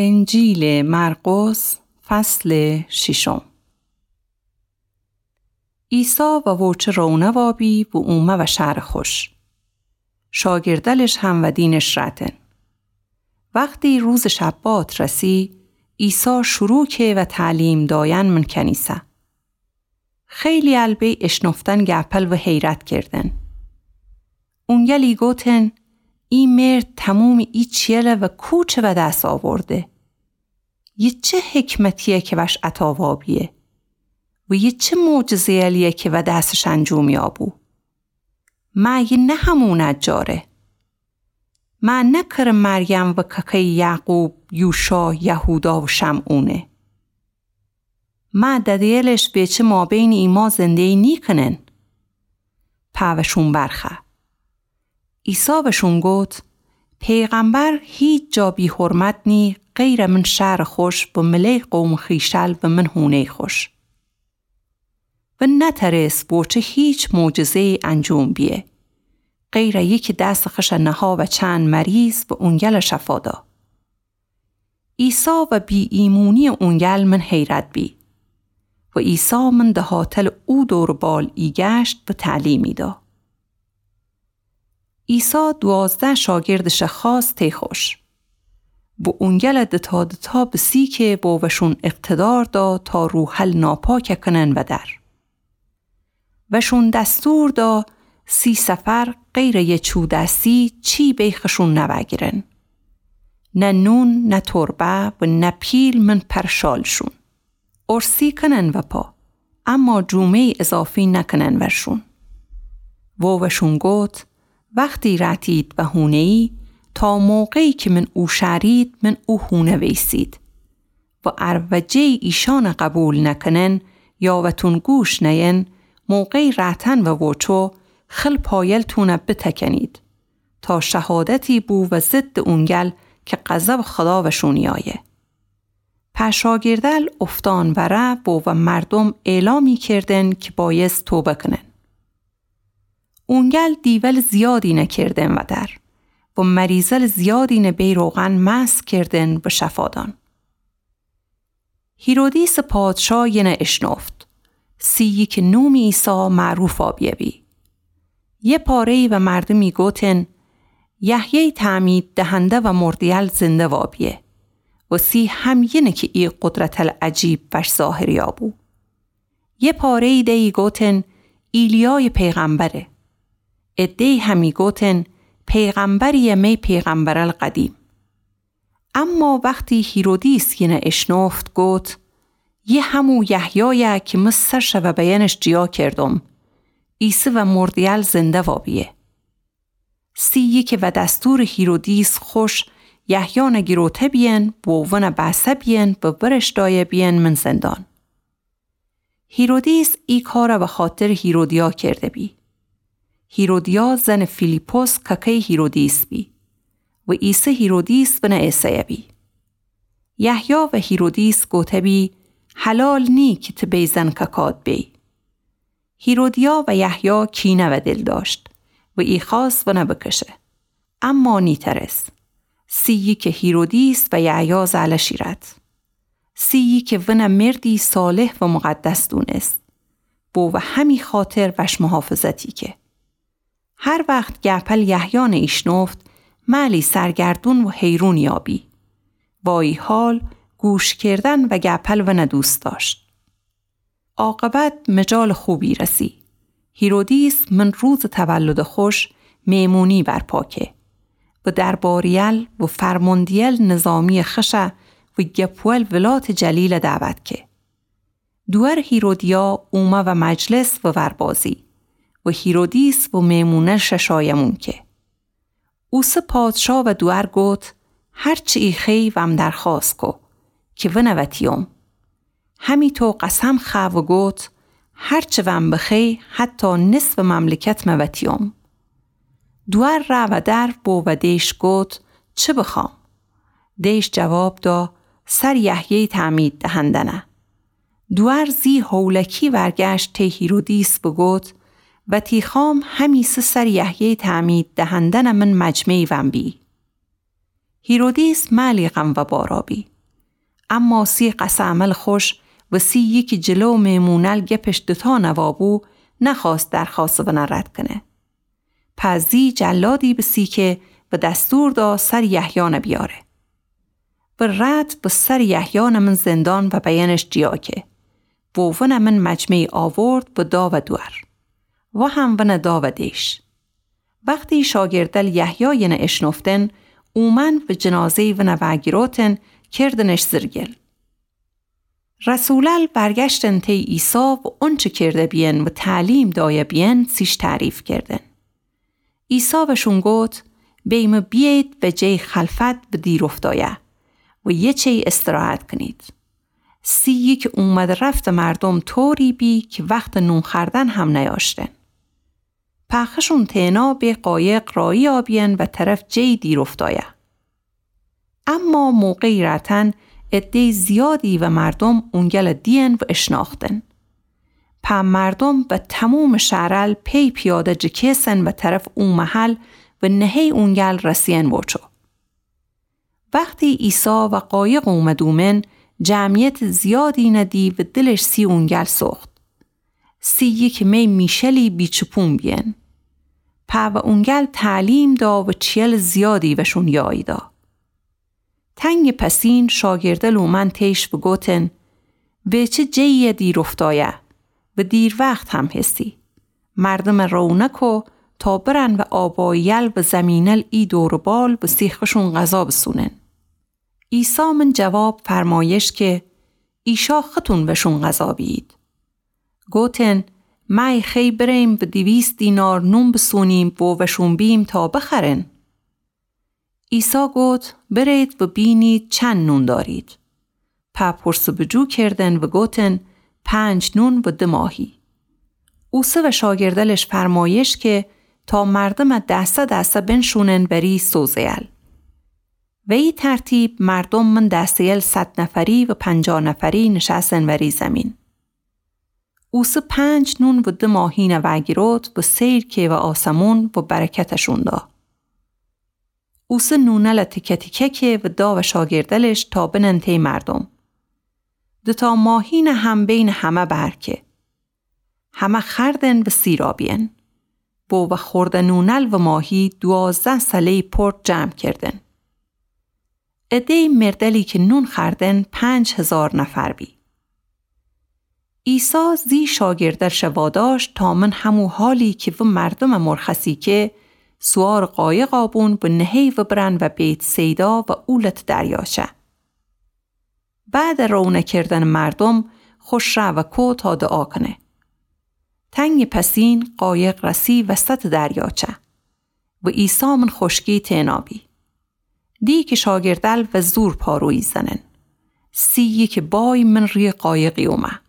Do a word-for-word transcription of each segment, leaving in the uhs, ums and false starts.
انجیلٚ مرقس، فصلٚ ششم. عیسی و ووچه روونه وابی و اومه و شهرٚ خوش. شاگردلش هم ودینش رأتن. وختی روزٚ شبات رسی، عیسی شروع که و تعلیم دایأن من کنیسه. خیلی ال بی اشنفتن گپل و حیرت کردن. اونگلی گوتن: ای مرد تمومٚ ای چیله و کوچه ودس آورده؟ یه چه حکمتیه که وش عطا وابیه؟ و یه چه معجزه‌یلیه که ودسش انجوم یابو؟ مه یه نه همو نجاره؟ مه نه کرٚ مریم و ککه‌یٚ یعقوب، یوشا، یهودا و شمعونه؟ مه دده‌یلش ویچه مابینٚ ایما زنده‌یی نیکنن؟ په وشون برخه. عیسی وشون گوت: پیغمبر هیچ جا بی‌حرمت نی غیرٚ من شهرٚ خوش و مله‌یٚ قومٚ خویشل و من هونه‌یٚ خوش. و نترس ووچه هیچ معجزه‌یی انجوم بیه، غیرٚ یکی دسٚ خوشه نها و چند مریض و اونگل شفا دا. عیسی و بی‌ایمونی‌یٚ اونگل من حیرت بی. و عیسی من دهاتل او دور و بال ایگشت و تعلیمی دا. عیسی دوازده شاگردش خواست تی خوش. و اونگل دتا دتا بسی که و وشون اقتدار دا تا روحل ناپاک کنن ودر. وشون دستور دا سی سفر غیرٚ یه چو دستی چی بی خوشون نوگیرن. نه نون، نه تربه و نه پیل من پر شالشون. ارسی کنن وپا، اما جومه‌یی اضافی نکنن ورشون. و وشون گوت: وختی رأتید و هونه‌یی، تا موقعی که من اوشأرید، من او هونه ویسید. و ار وجه‌یی ایشأن قبول نکنن یا وتون گوش نین، موقعٚ رأتن و ووچو خل پایلتون بتکنید، تا شهادتی بو و ضدٚ اونگل که غضبٚ خدا وشون یایه. په شاگردل افتان وره و و مردم اعلامی کردن که بایست توبه کنن. اونگل دیول زیادینه کردن ودر و مریضل زیادینه بی روغن مسح کردن و شفا دان. هیرودیسٚ پادشا ینه اشنفت، سی یکه نومٚ عیسی معروفا بیه بی. یه پاره‌یی و مردومی گوتن: یحیی تعمید دهنده و مرده‌یل زنده وا بیه. و سی هم ینه که ای قدرتل عجیب وش ظاهر یابو. یه پاره‌یی دیی گوتن: ایلیای پیغمبره. عده‌یی همی گوتن: پیغمبریه می پیغمبرل قدیم. اما وختی هیرودیس ینه اشنفت گوت: یه همو یحیایه که مه سه شوه بیینش جیا کردم، ایسه و مرده‌یل زنده وا بیه. سی یکه و دستورٚ هیرودیس خوش یحیانه گیروته بیین و ونه بسه بیین و ورش دایه بیین من زندان. هیرودیس ای کاره و خاطرٚ هیرودیا کرده بی. هیرودیا زنٚ فیلیپس ککه‌یٚ هیرودیس بی و ایسه هیرودیس ونه ایسه‌یه بی. یحیی و هیرودیس گوته بی: حلال نی که ته بی زن ککاد بی. هیرودیا و یحیی کینه و دل داشت و ای خواست ونه بکشه. اما نیترس. سی یکه هیرودیس و یحیی زالشی رد. سی یکه ونه مردی صالح و مقدس دونست. بو و همی خاطر وش محافظتی که. هر وخت گپل یحیانه ایشنفت، ملی سرگردون و حیرون یابی. وایی حال گوش کردن و گپل ونه دوست داشت. عاقبت مجالٚ خوبی رسی. هیرودیس من روزٚ تولدٚ خوش میمونی برپا که و درباری‌یل و فرمانده‌یل نظامیٚ خشه و گپوئل ولاتٚ جلیله دعوت که. دوئر هیرودیا اومه و مجلس و وربازی و هیرودیس و میمونه‌شه شایمون که. اوسه پادشا و دوئر گوت: هر چی ای خی وم درخواست کو که ونه وتیوم. همی تو قسم خا و گوت: هر چی وم بخی حتی نصفٚ مملکت مه وتیوم. دوئر ره و در بو و دیش گوت: چه بخوام؟ دیش جواب دا: سر یحیی تعمید دهندنه. دوئر زی هولکی ورگشت تی هیرودیس بگوت: وتی خوام همیسه سر یحیی تعمید دهندنه من مجمعی وم بی. هیرودیس مألی غم و بارا بی. اما سی قصه‌عملٚ خوش و سی یکی جلو مهمونل گپش دوتا نوا بو، نخوأست درخوأستٚ ونه رد کنه. پس زی جلادی بسیکه و دستور دا سرٚ یحیی نه بیاره. و رد و سرٚ یحیی نه من زندان و بیأنش جیا که. و ونه من مجمعی آورد و دا و دور. و هم ونه دا و دیش. وختی شاگردل یحیی ینه اشنفتن، اومن و جنازه‌ی ونه وأگیروتن، کردنش زیر گل. رسولل برگشتن تی عیسی و اونچه کرده بیین و تعلیم دایه بیین، سیش تعریف کردن. عیسی وشون گفت: بیمه بیید و جی خلفت و دیرافتایه و یه چی استراحت کنید. سی یکی اومد رفت مردم طوری بی که وقت نون خوردن هم نیاشتن. پخشون تینا به قایق رایی آبین و طرف جی دیرافتایه. اما موقعی رأتن عده‌ی زیادی و مردم اونگل دین و اشناختن. په مردم و تموم شهرل پی پیاده جکیسن و طرف او محل و نهه‌ی اونگل رسین وچو. وختی عیسی و قایق اومد اومن، جمعیت زیادی ندی و دلش سی اونگل سوخت. سی یکی می میشلی بیچپون بیین. په و اونگل تعلیم دا و چیل زیادی وشون یاییدا. تنگ پسین شاگردل اومن تیش و گوتن: ویچه جیه دیرافتایه و دیر وخت هم هسی. مردم روانه کو تا برن و آبایل و زمینل ای دور و بال و سی خوشون غذا بسونن. عیسی من جواب فرمایش که: ایشا ختون وشون غذا بیید. گوتن: مأی خی بریم و دویست دینار نون بسونیم و وشون بیم تا بخرن؟ عیسی گوت: برید و بینید چند نون دارید. په پرس و بجو کردن و گوتن: پنج نون و دو ماهی. اوسه و شاگردلش فرمایش که تا مردم دسته دسته بنشونن وری سوزه‌یل. و ای ترتیب مردم من دسته‌یل صد نفری و پنجاه نفری نشأسن وری زمین. اوسه پنج نون و دو ماهی نه وأگیروت و سیر که و آسمون و برکتشون دا. اوسه نونل تیکه تیکه که و دا و شاگردلش تا بنن تی مردم. دوتا ماهی نه هم بین همه بر که. همه خوردن و سیرا بیین. و و خورده نونل و ماهی دوازده سله‌ی پرت جمع کردن. عده‌ی مردلی که نون خوردن پنج هزار نفر بی. عیسی زی شاگردلش واداشت تا من همو حالی که و مردم مرخصی که، سوارٚ قایقا بون و نهه‌ی و برن و بیت‌صیدا و اولتٚ دریاچه. بعدٚ روانه کردنٚ مردم خوش رأ و کو تا دعا کنه. تنگٚ پسین قایق رسی وسطٚ دریاچه و عیسی من خوشکی تینا بی. دی که شاگردل و زور پارویی زنن. سی یکی بای من ری قایقی اومه.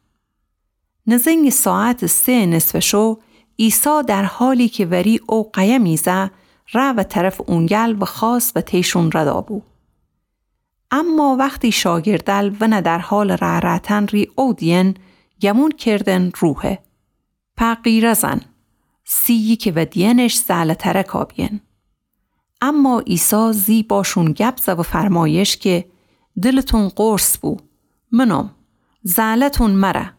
نزنگٚ ساعتٚ سه نصف شو، عیسی در حالی که وری او قایم ایسه، رأ و طرفٚ اونگل و خاص و تیشون رد آبو. اما وختی شاگردل ونه در حالٚ رأ رأتن ری او دیین، گمون کردن روحه. په غیره زن، سی یکی و دیینش زعله‌ترکا بیین. اما عیسی زی باشون گب زه و فرمایش که، دلتون قرص بو، منم، زعله‌تون مره.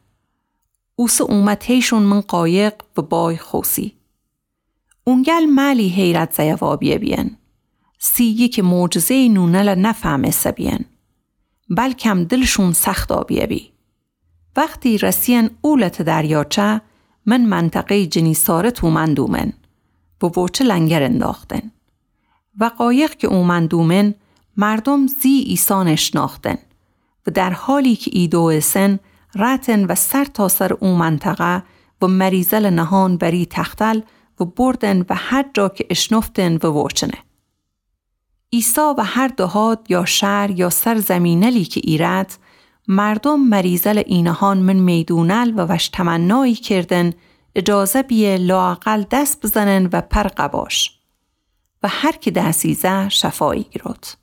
اوسه اومه تیشون من قایق و بای خوسی. اونگل مألی حیرت زیه وابیه بیین. سی یکی معجزه‌یٚ نونله نفهمسه بیین. بلکم دلشون سخت آبیه بی. وختی رسیین اولتٚ دریاچه، من منطقه‌یٚ جنیسارت اومن دومن و ووچه لنگر انداختن. و قایق که اومن دومن، مردم زی عیسی نشناختن و در حالی که ایدویسن، رأتن و سرتاسرٚ او منطقه و مریضلٚ نهان بری تختل و بردن و هر جا که اشنفتن و ووچنه. عیسی و هر دهات یا شهر یا سر زمینلی که ایرد، مردم مریضلٚ اینهان من میدونل و وش تمنایی کردن، اجازه بیه لااقل دس بزنن و پر قباش. و هر که دس ایزه شفا ایگروت.